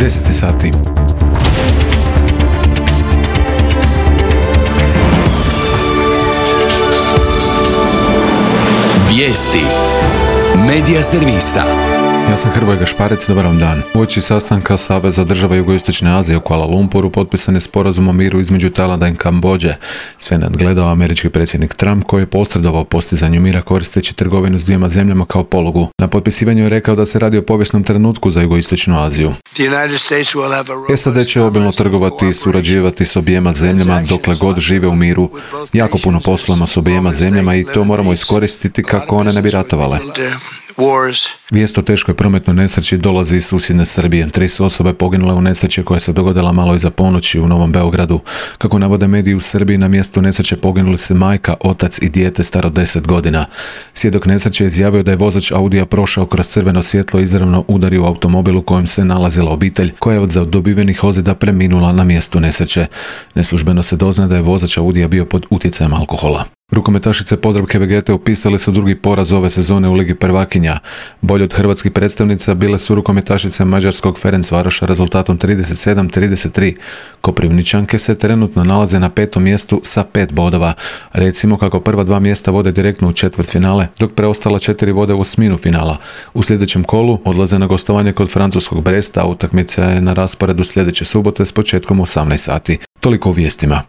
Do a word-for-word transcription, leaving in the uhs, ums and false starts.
deset sati. Vijesti Medija servisa. Ja sam Hrvoje Gašparec, dobar vam dan. Uoči sastanka Saveza država Jugoistočne Azije u Kuala Lumpuru potpisan je sporazum o miru između Tajlanda i Kambodže. Sve nadgledao američki predsjednik Trump koji je posredovao postizanju mira koristeći trgovinu s dvijema zemljama kao polugu. Na potpisivanju je rekao da se radi o povijesnom trenutku za Jugoistočnu Aziju. S A D će obilno trgovati i surađivati s objema zemljama dokle god žive u miru. Jako puno poslujemo s objema zemljama i to moramo iskoristiti kako one ne bi ratovale. Vijest o teškoj prometnoj nesreći dolazi iz susjedne Srbije. Tri su osobe poginule u nesreći koja se dogodila malo iza ponoći u Novom Beogradu. Kako navode mediji u Srbiji, na mjestu nesreće poginuli se majka, otac i dijete staro deset godina. Svjedok nesreće je izjavio da je vozač Audija prošao kroz crveno svjetlo i izravno udario u automobil u kojem se nalazila obitelj, koja je od dobivenih ozljeda preminula na mjestu nesreće. Neslužbeno se doznaje da je vozač Audija bio pod utjecajem alkohola. Rukometašice Podravke Vegete upisali su drugi poraz ove sezone u Ligi prvakinja. Bolje od hrvatskih predstavnica bile su rukometašice mađarskog Ferencvaroša rezultatom trideset sedam trideset tri. Koprivničanke se trenutno nalaze na petom mjestu sa pet bodova. Recimo kako prva dva mjesta vode direktno u četvrtfinale, dok preostala četiri vode u osminu finala. U sljedećem kolu odlaze na gostovanje kod francuskog Bresta, a utakmica je na rasporedu sljedeće subote s početkom u osamnaest sati. Toliko u vijestima.